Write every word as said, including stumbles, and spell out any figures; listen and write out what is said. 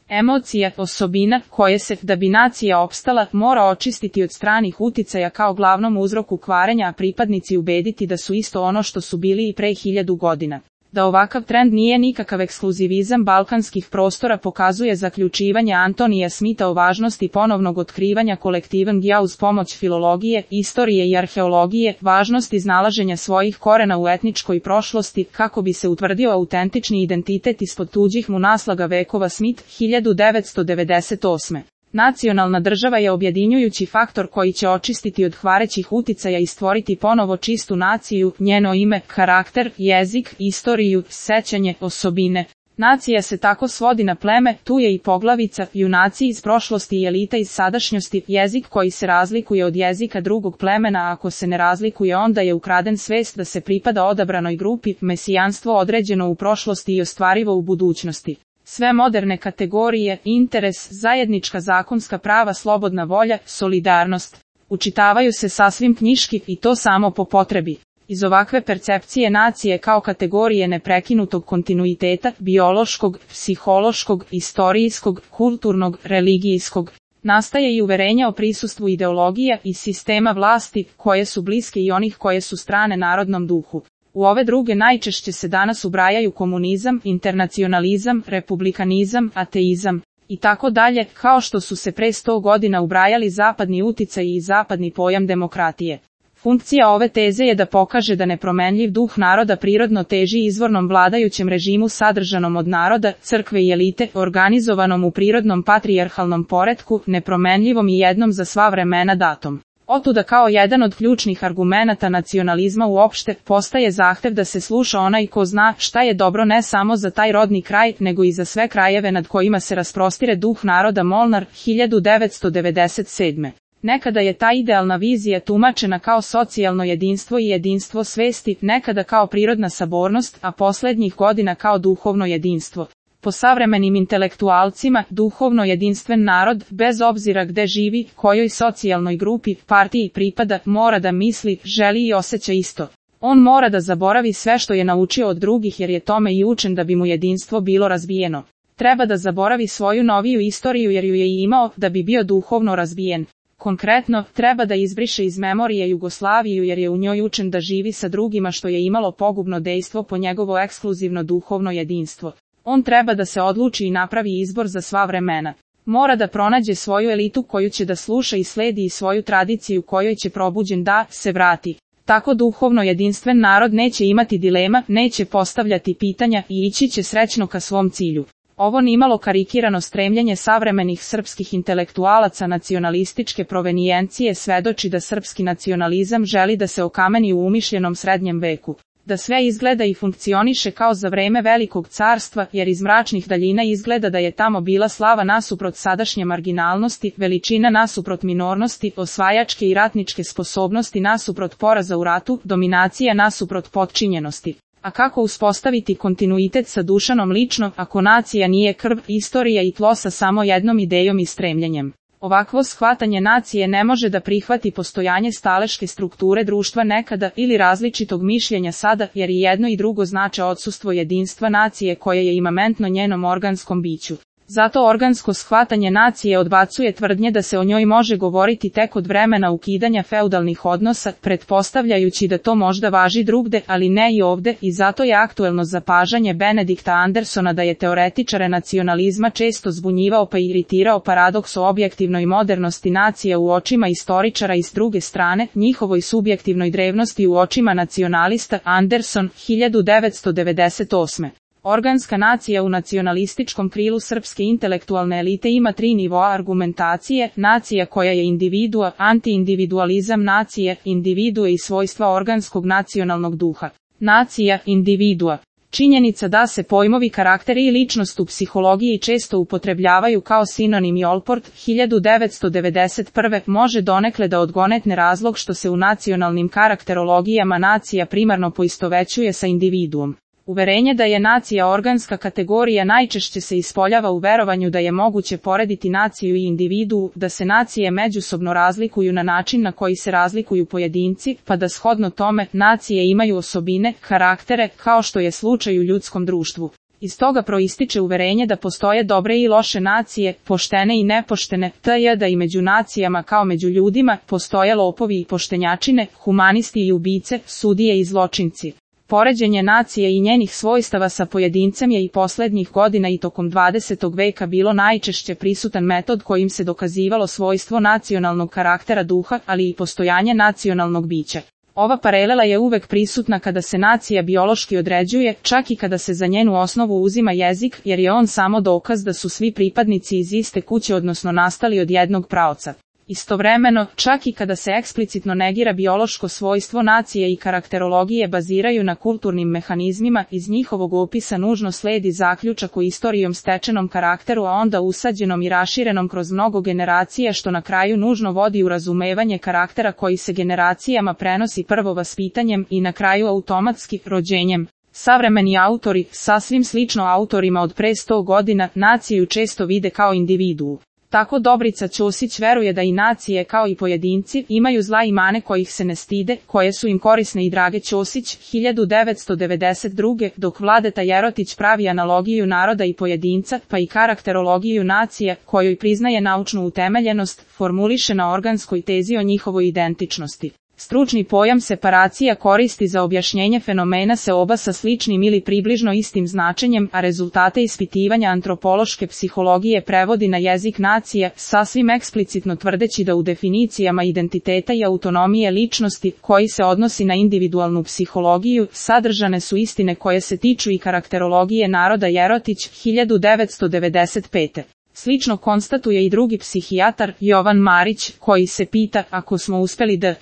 Emocija, osobina, koje se, da bi nacija opstala, mora očistiti od stranih uticaja kao glavnom uzroku kvarenja, a pripadnici ubediti da su isto ono što su bili i pre hiljadu godina. Da ovakav trend nije nikakav ekskluzivizam balkanskih prostora pokazuje zaključivanje Antonija Smitha o važnosti ponovnog otkrivanja kolektivan ja uz pomoć filologije, istorije i arheologije, važnost iznalaženja svojih korena u etničkoj prošlosti, kako bi se utvrdio autentični identitet ispod tuđih mu naslaga vekova. Smith, hiljadu devetsto devedeset osme. Nacionalna država je objedinjujući faktor koji će očistiti od kvarećih uticaja i stvoriti ponovo čistu naciju, njeno ime, karakter, jezik, istoriju, sećanje, osobine. Nacija se tako svodi na pleme, tu je i poglavica, junaci iz prošlosti i elita iz sadašnjosti, jezik koji se razlikuje od jezika drugog plemena, a ako se ne razlikuje onda je ukraden svest da se pripada odabranoj grupi, mesijanstvo određeno u prošlosti i ostvarivo u budućnosti. Sve moderne kategorije, interes, zajednička zakonska prava, slobodna volja, solidarnost, učitavaju se sasvim knjiški i to samo po potrebi. Iz ovakve percepcije nacije kao kategorije neprekinutog kontinuiteta, biološkog, psihološkog, istorijskog, kulturnog, religijskog, nastaje i uverenja o prisustvu ideologija i sistema vlasti, koje su bliske i onih koje su strane narodnom duhu. U ove druge najčešće se danas ubrajaju komunizam, internacionalizam, republikanizam, ateizam i tako dalje, kao što su se pre sto godina ubrajali zapadni uticaji i zapadni pojam demokratije. Funkcija ove teze je da pokaže da nepromenljiv duh naroda prirodno teži izvornom vladajućem režimu sadržanom od naroda, crkve i elite, organizovanom u prirodnom patrijarhalnom poretku, nepromenljivom i jednom za sva vremena datom. Otuda kao jedan od ključnih argumenata nacionalizma uopšte postaje zahtev da se sluša onaj ko zna šta je dobro ne samo za taj rodni kraj, nego i za sve krajeve nad kojima se rasprostire duh naroda. Molnar, hiljadu devetsto devedeset sedme. Nekada je ta idealna vizija tumačena kao socijalno jedinstvo i jedinstvo svesti, nekada kao prirodna sabornost, a poslednjih godina kao duhovno jedinstvo. Po savremenim intelektualcima, duhovno jedinstven narod, bez obzira gde živi, kojoj socijalnoj grupi, partiji pripada, mora da misli, želi i osjeća isto. On mora da zaboravi sve što je naučio od drugih jer je tome i učen da bi mu jedinstvo bilo razvijeno. Treba da zaboravi svoju noviju istoriju jer ju je i imao da bi bio duhovno razvijen. Konkretno, treba da izbriše iz memorije Jugoslaviju jer je u njoj učen da živi sa drugima što je imalo pogubno dejstvo po njegovo ekskluzivno duhovno jedinstvo. On treba da se odluči i napravi izbor za sva vremena. Mora da pronađe svoju elitu koju će da sluša i sledi i svoju tradiciju kojoj će probuđen da se vrati. Tako duhovno jedinstven narod neće imati dilema, neće postavljati pitanja i ići će srećno ka svom cilju. Ovo nimalo karikirano stremljenje savremenih srpskih intelektualaca nacionalističke provenijencije svedoči da srpski nacionalizam želi da se okameni u umišljenom srednjem veku. Da sve izgleda i funkcioniše kao za vreme Velikog carstva, jer iz mračnih daljina izgleda da je tamo bila slava nasuprot sadašnje marginalnosti, veličina nasuprot minornosti, osvajačke i ratničke sposobnosti nasuprot poraza u ratu, dominacija nasuprot potčinjenosti. A kako uspostaviti kontinuitet sa Dušanom lično, ako nacija nije krv, istorija i tlo sa samo jednom idejom i stremljenjem? Ovakvo shvatanje nacije ne može da prihvati postojanje staleške strukture društva nekada ili različitog mišljenja sada, jer i jedno i drugo znače odsustvo jedinstva nacije koje je imamentno njenom organskom biću. Zato organsko shvatanje nacije odbacuje tvrdnje da se o njoj može govoriti tek od vremena ukidanja feudalnih odnosa, pretpostavljajući da to možda važi drugde, ali ne i ovde, i zato je aktuelno zapažanje Benedikta Andersona da je teoretičare nacionalizma često zbunjivao pa iritirao paradoks o objektivnoj modernosti nacija u očima istoričara i s druge strane, njihovoj subjektivnoj drevnosti u očima nacionalista. Anderson, hiljadu devetsto devedeset osme. Organska nacija u nacionalističkom krilu srpske intelektualne elite ima tri nivoa argumentacije: nacija koja je individua, antiindividualizam nacije, individue i svojstva organskog nacionalnog duha. Nacija, individua. Činjenica da se pojmovi karakteri i ličnost u psihologiji često upotrebljavaju kao sinonim i Allport, hiljadu devetsto devedeset prve. može donekle da odgonetne razlog što se u nacionalnim karakterologijama nacija primarno poistovećuje sa individuom. Uverenje da je nacija organska kategorija najčešće se ispoljava u verovanju da je moguće porediti naciju i individu, da se nacije međusobno razlikuju na način na koji se razlikuju pojedinci, pa da shodno tome nacije imaju osobine, karaktere, kao što je slučaj u ljudskom društvu. Iz toga proističe uverenje da postoje dobre i loše nacije, poštene i nepoštene, te da i među nacijama kao među ljudima postoje lopovi i poštenjačine, humanisti i ubice, sudije i zločinci. Poređenje nacije i njenih svojstava sa pojedincem je i poslednjih godina i tokom dvadesetog veka bilo najčešće prisutan metod kojim se dokazivalo svojstvo nacionalnog karaktera duha, ali i postojanje nacionalnog bića. Ova paralela je uvek prisutna kada se nacija biološki određuje, čak i kada se za njenu osnovu uzima jezik, jer je on samo dokaz da su svi pripadnici iz iste kuće odnosno nastali od jednog praoca. Istovremeno, čak i kada se eksplicitno negira biološko svojstvo nacije i karakterologije baziraju na kulturnim mehanizmima, iz njihovog opisa nužno sledi zaključak o istorijom stečenom karakteru, a onda usađenom i raširenom kroz mnogo generacija, što na kraju nužno vodi u razumevanje karaktera koji se generacijama prenosi prvo vaspitanjem i na kraju automatski rođenjem. Savremeni autori, sasvim slično autorima od pre sto godina, naciju često vide kao individuu. Tako Dobrica Ćosić veruje da i nacije kao i pojedinci imaju zla i mane kojih se ne stide, koje su im korisne i drage. Ćosić, hiljadu devetsto devedeset druge. Dok Vladeta Jerotić pravi analogiju naroda i pojedinca, pa i karakterologiju nacija, kojoj priznaje naučnu utemeljenost, formuliše na organskoj tezi o njihovoj identičnosti. Stručni pojam separacija koristi za objašnjenje fenomena seoba sa sličnim ili približno istim značenjem, a rezultate ispitivanja antropološke psihologije prevodi na jezik nacije, sasvim eksplicitno tvrdeći da u definicijama identiteta i autonomije ličnosti, koji se odnosi na individualnu psihologiju, sadržane su istine koje se tiču i karakterologije naroda. Jerotić, hiljadu devetsto devedeset pete. Slično konstatuje i drugi psihijatar, Jovan Marić, koji se pita, ako smo uspeli da